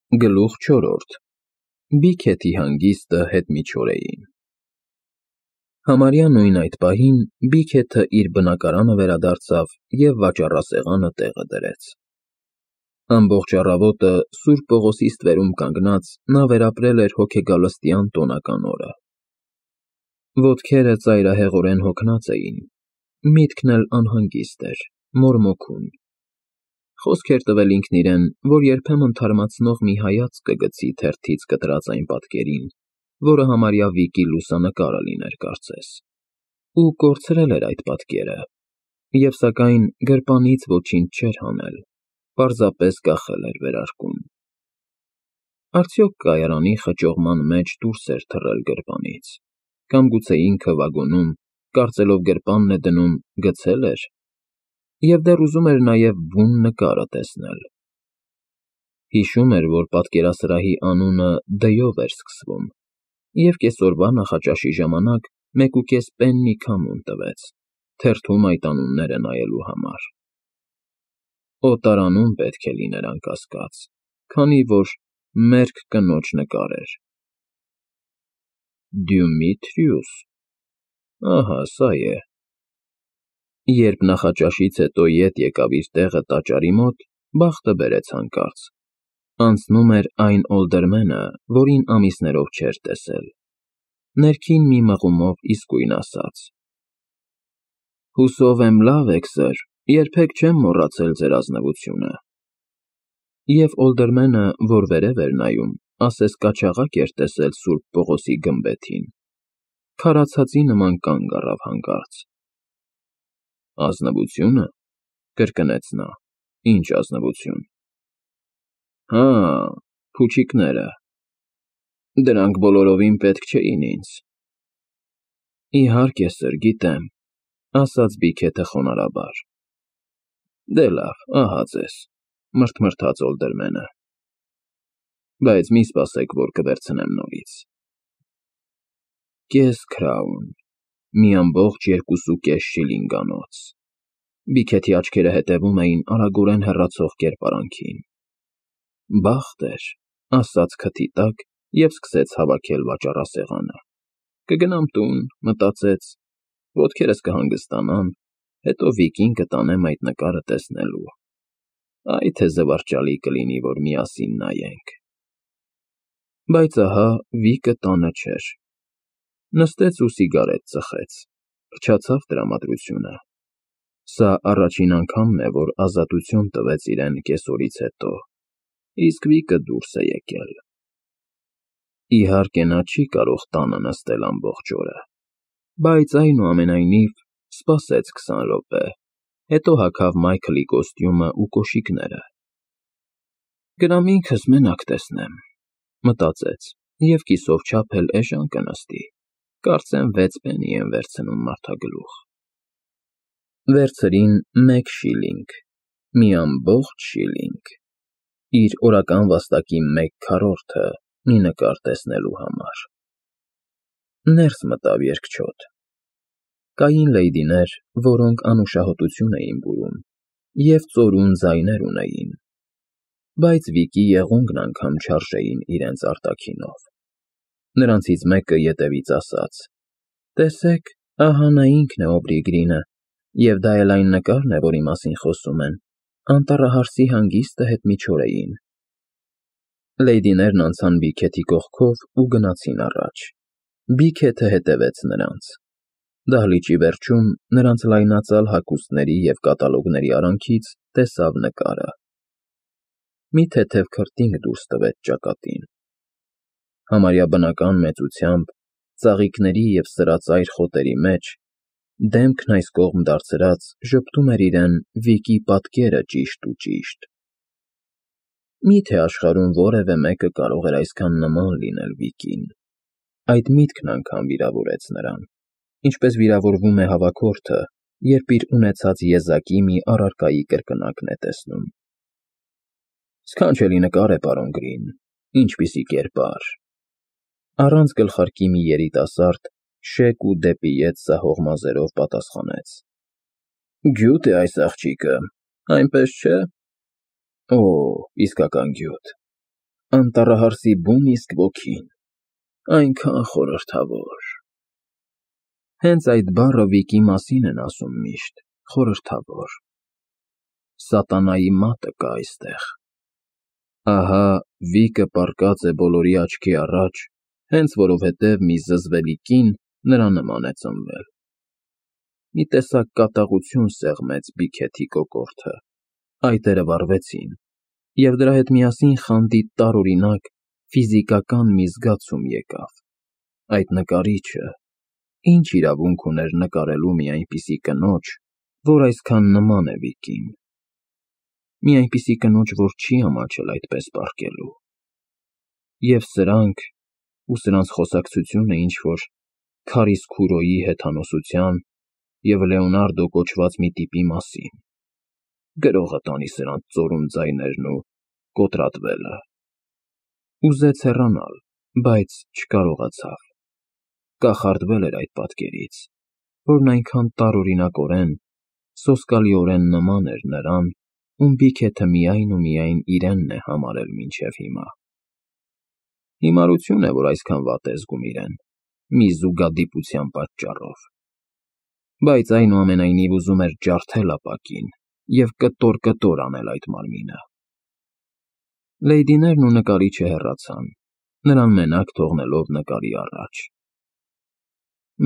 Գլուխ 4. Բիքեթի հանգիստը հետմիջօրեին։ Համարյա նույն այդ պահին Բիքեթը իր բնակարանը վերադարձավ և վաճառասեղանը տեղը դրեց։ Ամբողջ առավոտը Սուրբ Պողոսի ստվերում կանգնած նա վերապրել էր հոգեգալստյան տոնական օրը։ Ոտքերը ծայրահեղորեն հոգնած էին, միտքն էլ անհանգիստ էր, մորմոքում։ Խոսք էր տվել ինքն իրեն, որ երբեմն թարմացնող մի հայացք կգցի թերթից կտրած այն պատկերին, որը համարյա Վիկի լուսանկարը լիներ կարծես, ու կորցրել էր այդ պատկերը, և սակայն գրպանից ոչինչ չէր հանել, պարզապես կախել էր վերարկուն։ Արդյոք կայարանի խճողման մեջ դուրս էր թռել գրպանից, կամ գուցե ինքը վագոնում, կարծելով գրպանն է դնում, գցել էր, և դեռ ուզում էր նաև բուն նկարը տեսնել։ Հիշում էր, որ պատկերասրահի անունը «Դ»-ով էր սկսվում, և կեսօրվա նախաճաշի ժամանակ 1.5 պեննի քամուն տվեց, թերթում այդ անունները նայելու համար։ Օտարանում պետք է լիներ անկասկած, քանի որ մերկ կնոջ նկար էր։ Դյումիթրիուս, ահա սա է։ Երբ նախաճաշից հետո ետ եկավ իր տեղը տաճարի մոտ, բախտը բերեց հանկարծ։ Անցնում էր այն օլդերմենը, որին ամիսներով չէր տեսել, ներքին մի մղումով իսկույն ասաց. «Հուսով եմ լավ եք, սըր, երբեք չեմ մոռացել ձեր ազնվությունը»։ Եվ օլդերմենը, որ վերև էր նայում, ասես կաչաղակ էր տեսել Սուրբ Պողոսի գմբեթին, քարացածի նման կանգ առավ հանկարծ։ «Ազնվությո՞ւնը», կրկնեց նա, «ինչ ազնվություն»։ Հա, փուչիկները, դրանք բոլորովին պետք չէին ինձ։ Իհարկե, սըր, գիտեմ, ասաց Բիքեթը խոնարհաբար։ Դե լավ, ահա ձեզ, մրթմրթաց օլդերմենը, բայց մի սպասեք, որ կվերցնեմ նորից։ Կես քրաուն, մի ամբողջ 2.5 շիլինգանոց։ Բիքեթի աչքերը հետևում էին արագորեն հեռացող կերպարանքին։ Բախտ էր, ասաց քթի տակ և սկսեց հավաքել վաճառասեղանը։ Կգնամ տուն, մտածեց, ոտքերս կհանգստանան, հետո Վիկին կտանեմ այդ նկարը տեսնելու։ Այ թե զվարճալի կլինի, որ միասին նայենք։ Բայց ահա Վիկը տանը չէր։ Նստեց ու սիգարետ ծխեց, փչացավ տրամադրությունը։ Սա առաջին անգամն է, որ ազատություն տվեց իրեն կեսօրից հետո, իսկ Վիկը դուրս է եկել։ Իհարկե նա չի կարող տանը նստել ամբողջ օրը, բայց այնուամենայնիվ սպասեց 20 րոպե, հետո հագավ Մայքլի կոստյումն ու կոշիկները։ Գնամ ինքս մենակ տեսնեմ, մտածեց և կիսով չափ էլ էժան կնստի, կարծեմ 6 պեննի են վերցնում մարդագլուխ։ Վերցրին 1 շիլինգ, մի ամբողջ շիլինգ, իր օրական վաստակի 1/4-ը մի նկար տեսնելու համար։ Ներս մտավ երկչոտ։ Կային լեյդիներ, որոնք անուշահոտություն էին բուրում և ծորուն ձայներ ունեին, բայց Վիկի եղունգն անգամ չարժեին իրենց արտաքինով։ Նրանցից մեկը ետևից ասաց. «Տեսեք, ահա նա ինքն է Օբրիգրինը, և դա էլ այն նկարն է, որի մասին խոսում են, անտառահարսի հանգիստը հետմիջօրեին»։ Լեյդիներն անցան Բիքեթի կողքով ու գնացին առաջ։ Բիքեթը հետևեց նրանց։ Դահլիճի վերջում նրանց լայնածալ հագուստների և կատալոգների արանքից տեսավ նկարը։ Մի թեթև քրտինք դուրս տվեց ճակատին։ Համարյա բնական մեծությամբ, ծաղիկների և սրածայր խոտերի մեջ, դեմքն այս կողմ դարձրած, ժպտում էր իրեն Վիկի պատկերը ճիշտ ու ճիշտ։ Մի՞թե աշխարհում որևէ մեկը կարող էր այսքան նման լինել Վիկին։ Այդ միտքն անգամ վիրավորեց նրան, ինչպես վիրավորվում է հավաքորդը, երբ իր ունեցած եզակի մի առարկայի կրկնակն է տեսնում։ Սքանչելի նկար է, պարոն Գրին, ինչպիսի կերպար։ Առանց գլխարկի մի երիտասարդ, շեկ ու դեպի ետ սահող մազերով պատասխանեց. Գյուտ է այս աղջիկը, այնպես չէ։ Օ, իսկական գյուտ։ Անտառահարսի բուն իսկ ոգին, այնքան խորհրդավոր։ Հենց այդ բառը Վիկի մասին են ասում միշտ, խորհրդավոր։ Սատանայի մատը կա այստեղ։ Ահա Վիկը պառկած է բոլորի աչքի առաջ, հենց որովհետև մի զզվելի կին նրա նման է ծնվել։ Մի տեսակ կատաղություն սեղմեց Բիքեթի կոկորդը, այտերը վառվեցին, և դրա հետ միասին խանդի տարօրինակ ֆիզիկական մի զգացում եկավ. այդ նկարիչը ինչ իրավունք ուներ նկարելու մի այնպիսի կնոջ, որ այսքան նման է Վիկին, մի այնպիսի կնոջ, որ չի ամաչել այդպես պառկելու։ Եվ սրանք ու սրանց խոսակցությունը ինչ-որ Քարիս Քուրոյի հեթանոսության և Լեոնարդո կոչված մի տիպի մասին, գրողը տանի սրանց ծորում ձայներն ու կոտրատվելը։ Ուզեց հեռանալ, բայց չկարողացավ, կախարդվել էր այդ պատկերից, որն այնքան տարօրինակորեն, սոսկալիորեն նման էր նրան, ում Բիքեթը միայն ու միայն իրենն է համարել մինչև հիմա։ Հիմարություն է, որ այսքան վատ է զգում իրեն, մի զուգադիպության պատճառով, բայց այնուամենայնիվ ուզում էր ջարդել ապակին և կտոր անել այդ մարմինը։ Լեյդիներն ու նկարիչը հեռացան, նրան մենակ թողնելով նկարի առաջ։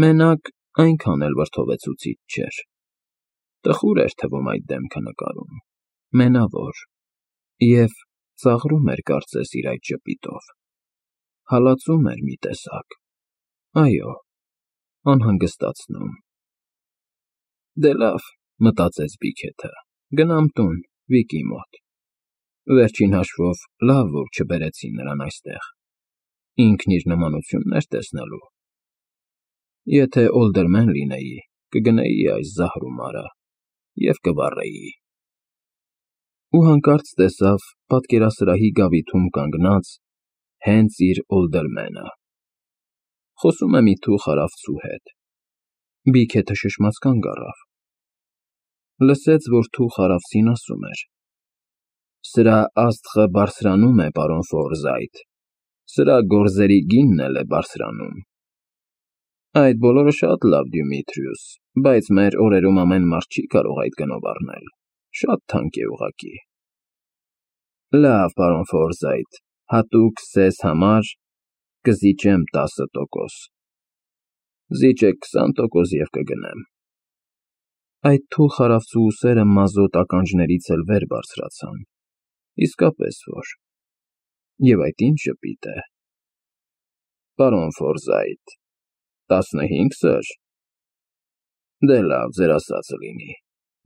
Մենակ այնքան էլ վրդովեցուցիչ չէր։ Տխուր էր թվում այդ դեմքը նկարում, մենավոր, և ծաղրում էր կարծես իր այդ ժպիտով, հալածում էր մի տեսակ, այո, անհանգստացնում։ Դե լավ, մտածեց Բիքեթը, գնամ տուն, Վիկի մոտ։ Վերջին հաշվով լավ, որ չբերեցին նրան այստեղ, ինքն իր նմանությունն էր տեսնելու։ Եթե օլդերմեն լինեի, կգնեի այս զահրումարը և կվառեի։ Ու հանկարծ տեսավ պատկերասրահի գավիթում կանգնած հենց իր օլդերմենը։ Խոսում է մի թուխ արավծու հետ։ Բիքեթը շշմած կանգ առավ։ Լսեց, որ թուխ արավծին ասում էր. «Սրա աստղը բարձրանում է, պարոն Ֆորզայթ, սրա գորզերի գինն էլ է բարձրանում»։ Այդ բոլորը շատ լավ, Դյումիթրիուս, բայց մեր օրերում ամեն մարդ չի կարող այդ գնով առնել, շատ թանկ է ուղղակի։ Լավ, պարոն Ֆորզայթ, հատուկ ձեզ համար կզիջեմ 10%։ Զիջեք 20% և կգնեմ։ Այդ թուխ արավծու ուսերը մազոտ ականջներից էլ վեր բարձրացան, իսկապես որ, և այդ ինչ ժպիտ է։ Պարոն Ֆորզայթ, 15 սր։ Դե լավ, ձեր ասածը լինի,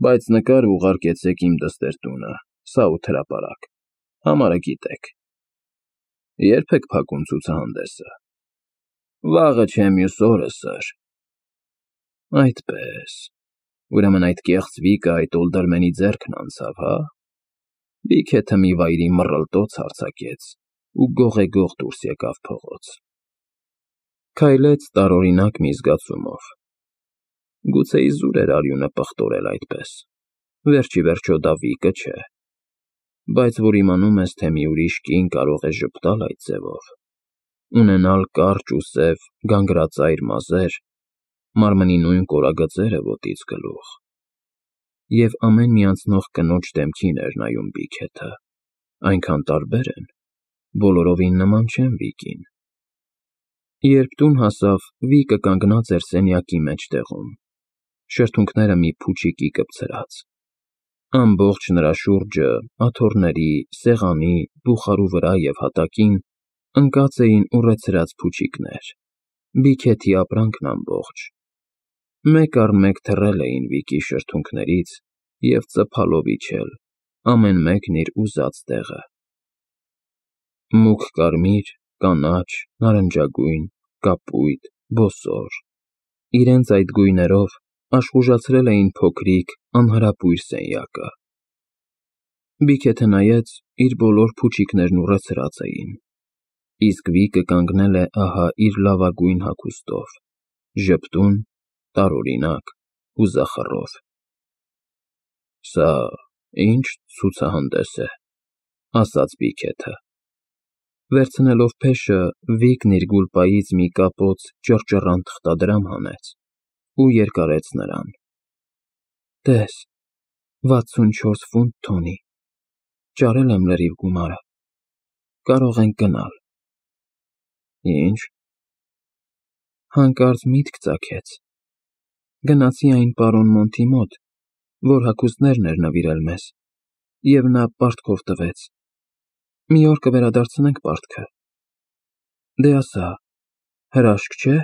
բայց նկար ուղարկեցեք իմ դստեր տունը, Սաութ հրապարակ, համարը գիտեք։ Ե՞րբ եք փակում ցուցահանդեսը։ Վաղը չէ, մյուս օրը, սըր։ Այդպես, ուրեմն այդ կեղծ Վիկը այդ օլդերմենի ձեռքն անցավ, հա։ Բիքեթը մի վայրի մռլտոց հարձակեց ու գողեգող դուրս եկավ փողոց։ Քայլեց տարօրինակ մի զգացումով։ Գուցե իզուր էր արյունը պղտորել այդպես, վերջիվերջո դա Վիկը չէ, բայց որ իմանում ես, թե մի ուրիշ կին կարող է ժպտալ այդ ձևով, ունենալ կարճ ու սև գանգրածայր մազեր, մարմնի նույն կորագծերը ոտից գլուխ, և ամեն մի անցնող կնոջ դեմքին էր նայում Բիքեթը, այնքան տարբեր են, բոլորովին նման չեն Վիկին։ Երբ տուն հասավ, Վիկը կանգնած էր սենյակի մեջտեղում, շրթունքները մի փուչիկի կպցրած։ Ամբողջ նրա շուրջը, աթոռների, սեղանի, բուխարու վրա և հատակին ընկած էին ուռեցրած փուչիկներ, Բիքեթի ապրանքն ամբողջ, մեկ առ մեկ թռել էին Վիկի շրթունքներից և ծփալով իջել, ամեն մեկն իր ուզած տեղը։ Մուգ կարմիր, կանաչ, նարնջագույն, կապույտ, բոսոր, իրենց այդ գույներով աշխուժացրել էին փոքրիկ, անհրապույր սենյակը։ Բիքեթը նայեց, իր բոլոր փուչիկներն ուռեցրած էին, իսկ Վիկը կանգնել է ահա իր լավագույն հագուստով, ժպտուն, տարօրինակ ու զախռով։ Սա ինչ ցուցահանդես է, ասաց Բիքեթը։ Վերցնելով փեշը, Վիկն իր գուլպայից մի կապոց ճռճռանտ թղթադրամ հանեց ու երկարեց նրան։ Տես, 64 ֆունտ թոնի, ճարել եմ լրիվ գումարը, կարող ենք գնալ։ Ինչ։ Հանկարծ միտք ծագեց։ Գնացի այն պարոն Մոնտի մոտ, որ հագուստներն էր նվիրել մեզ, և նա պարտքով տվեց։ Մի օր կվերադարձնենք պարտքը։ Դե ասա, հրաշք չէ՞։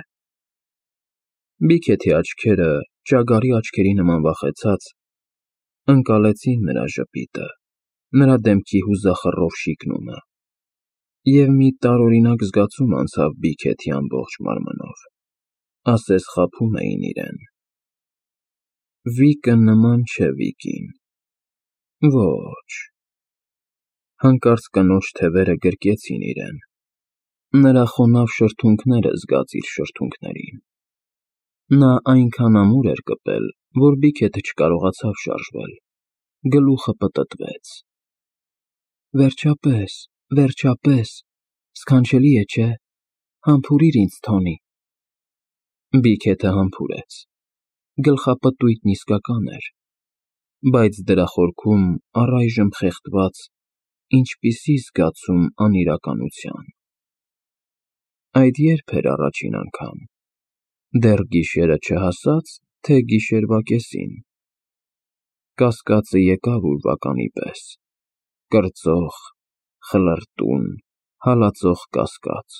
Բիքեթի աչքերը, ճագարի աչքերի նման վախեցած, ընկալեցին նրա ժպիտը, նրա դեմքի հուզախռով շիկնումը, և մի տարօրինակ զգացում անցավ Բիքեթի ամբողջ մարմնով, ասես խաբում էին իրեն։ Վիկը նման չէ Վիկին։ Ոչ։ Հանկարծ կնոջ թևերը գրկեցին իրեն, նրա խոնավ շրթունքները զգաց իր շրթունքներին։ Նա այնքան ամուր էր կպել, որ Բիքեթը չկարողացավ շարժվել, գլուխը պտտվեց։ Վերջապես, վերջապես, սքանչելի է, չէ՞, համբուրիր ինձ Թոնի։ Բիքեթը համբուրեց։ Գլխապտույտն իսկական էր, բայց դրա խորքում առայժմ խեղդված ինչպիսի զգացում անիրականության։ Այդ երբ էր առաջին անգամ։ Դեռ գիշերը չհասած, թե գիշերվա կեսին։ Կասկածը եկավ ուրվականի պես, կրծող, խլրտուն, հալածող կասկած,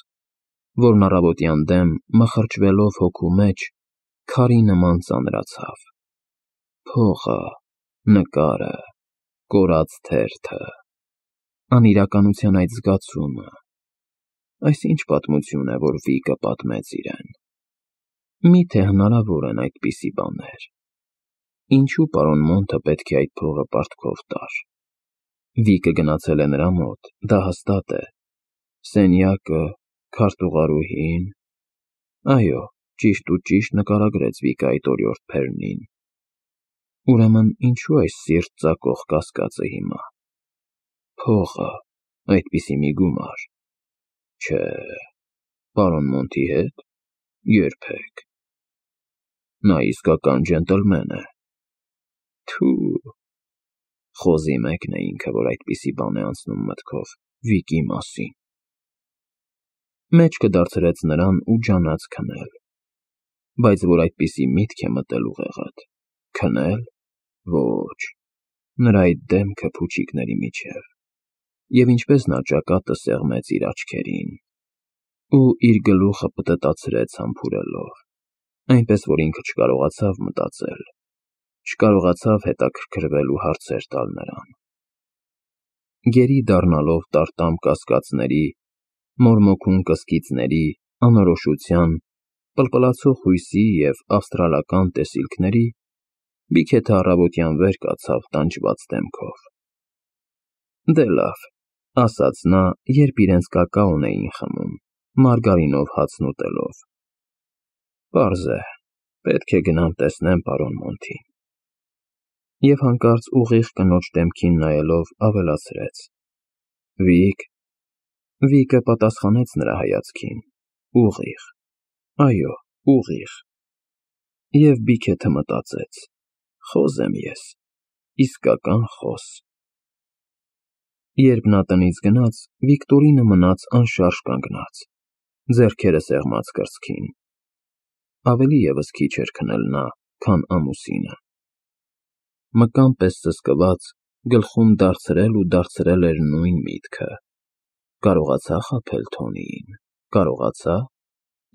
որն առավոտյան դեմ մխրճվելով հոգու մեջ, քարի նման ծանրացավ։ Փողը, նկարը, կորած թերթը, անիրականության այդ զգացումը, այս ինչ պատմություն է, որ Վիկը պատմեց իրեն։ Միթե հնարավոր են այդպիսի բաներ։ Ինչու պարոն Մոնտը պետք է այդ փողը պարտքով տար։ Վիկը գնացել է նրա մոտ, դա հաստատ է։ Սենյակը, քարտուղարուհին… Այո, ճիշտ ու ճիշտ նկարագրեց Վիկը այդ օրիորդ Փերնին։ Ուրեմն ինչու այս սիրտ ծակող կասկածը հիմա։ Փողը, այդպիսի մի գումար… Չէ, պարոն Մոնտի հետ… երբեք… Նա իսկական ջենտլմեն է։ Թու… Խոզի մեկն է ինքը, որ այդպիսի բան է անցնում մտքով Վիկի մասին։ Մեջքը դարձրեց նրան ու ջանաց քնել։ Բայց որ այդպիսի միտք է մտել ուղեղդ… Քնել… Ոչ… Նրա այդ դեմքը փուչիկների միջև… Եվ ինչպես նա ճակատը սեղմեց իր աչքերին… ու իր գլուխը պտտացրեց համբուրելով, այնպես որ ինքը չկարողացավ մտածել, չկարողացավ հետաքրքրվել ու հարցեր տալ նրան։ Գերի դառնալով տարտամ կասկածների, մորմոքուն կսկիծների, անորոշության, պլպլացող հույսի և ավստրալական տեսիլքների, Բիքեթը առավոտյան վեր կացավ տանջված դեմքով։ Դե լավ, ասաց նա, երբ իրենց կակաոն էին խմում, մարգարինով հացն ուտելով։ Պարզ է, պետք է գնամ տեսնեմ պարոն Մոնտին։ Եվ հանկարծ ուղիղ կնոջ դեմքին նայելով ավելացրեց. Վիկ… Վիկը պատասխանեց նրա հայացքին, ուղիղ, այո, ուղիղ։ Եվ Բիքեթը մտածեց. խոզ եմ ես, իսկական խոզ։ Երբ նա տնից գնաց, Վիկտորինը մնաց անշարժ կանգնած, ձեռքերը սեղմած կրծքին։ Ավելի ևս քիչ էր քնել նա, քան ամուսինը։ Մկան պես սսկված, գլխում դարձրել ու դարձրել էր նույն միտքը. կարողացա՞ խաբել Թոնիին, կարողացա՞,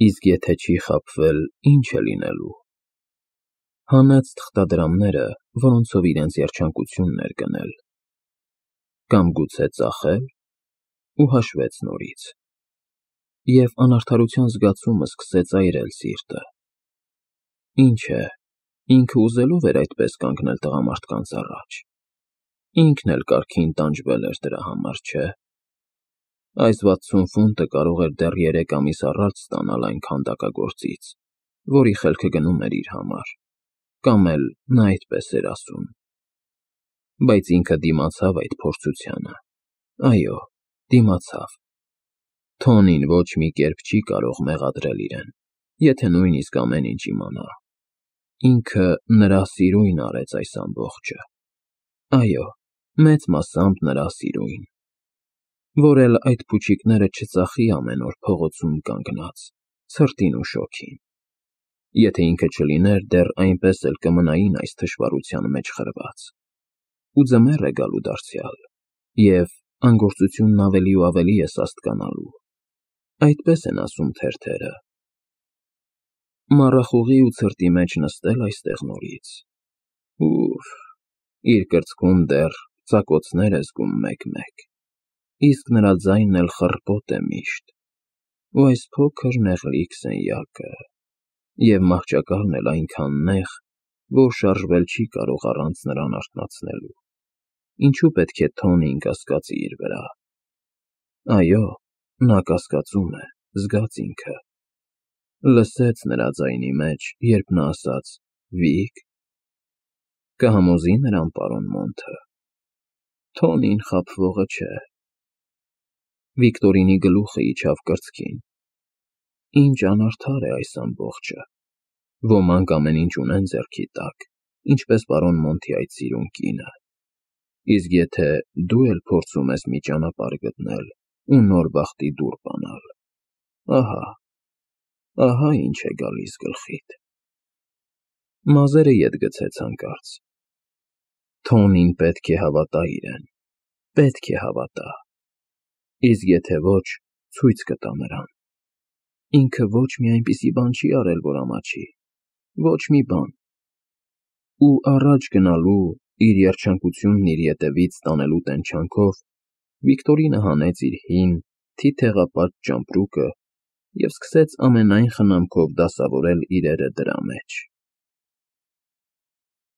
իսկ եթե չի խաբվել, ինչ է լինելու։ Հանեց թղթադրամները, որոնցով իրենց երջանկությունն էր գնել։ Կամ գուցե ծախել… ու հաշվեց նորից։ Եվ անարդարության զգացումը սկսեց այրել սիրտը։ Ինչ է, ինքը ուզելով էր այդպես կանգնել տղամարդկանց առաջ։ Ինքն էլ կարգին տանջվել էր դրա համար, չէ՞։ Այս 60 ֆունտը կարող էր դեռ 3 ամիս առաջ ստանալ այն քանդակագործից, որի խելքը գնում էր իր համար, կամ էլ նա այդպես էր ասում։ Բայց ինքը դիմացավ այդ փորձությանը։ Այո, դիմացավ։ Թոնին ոչ մի կերպ չի կարող մեղադրել իրեն, եթե նույնիսկ ամեն ինչ իմանա։ Ինքը նրա սիրույն արեց այս ամբողջը։ Այո, մեծ մասամբ նրա սիրույն, որ էլ այդ փուչիկները չծախի ամեն օր փողոցում կանգնած, ցրտին ու շոգին։ Եթե ինքը չլիներ, դեռ այնպես էլ կմնային այս թշվառության մեջ խրված։ Ու ձմեռ է գալու դարձյալ, և անգործությունն ավելի ու ավելի է սաստկանալու։ Այդպես են ասում թերթերը։ Մառախուղի ու ցրտի մեջ նստել այստեղ նորից։ Ուֆ, իր կրծքում դեռ ծակոցներ է զգում մեկ-մեկ, իսկ նրա ձայնն էլ խռպոտ է միշտ, ու այս փոքր նեղլիկ սենյակը, և մահճակալն էլ այնքան նեղ, որ շարժվել չի կարող առանց նրան արթնացնելու։ Ինչու պետք է Թոնին կասկածի իր վրա։ Այո, նա կասկածում է, զգաց ինքը։ Լսեց նրա ձայնի մեջ, երբ նա ասաց. «Վիք»։ Կհամոզի նրան պարոն Մոնթը։ Թոնին խաբվողը չէ։ Վիկտորինի գլուխը իջավ կրծքին։ Ինչ անարդար է այս ամբողջը։ Ոմանք ամեն ինչ ունեն ձեռքի տակ, ինչպես պարոն Մոնթի այդ սիրուն կինը։ Իսկ եթե դու էլ փորձում ես մի ճանապարհ գտնել ու նոր բախտի դուռ բանալ, ահա ինչ է գալիս գլխիդ։ Մազերը ետ գցեց հանկարծ։ Թոնին պետք է հավատա իրեն, պետք է հավատա։ Իսկ եթե ոչ, ցույց կտա նրան։ Ինքը ոչ մի այնպիսի բան չի արել, որ ամաչի, ոչ մի բան։ Ու առաջ գնալու, իր երջանկությունն իր ետևից տանելու տենչանքով Վիկտորինը հանեց իր հին, թիթեղապատ ճամպրուկը և սկսեց ամենայն խնամքով դասավորել իրերը դրա մեջ։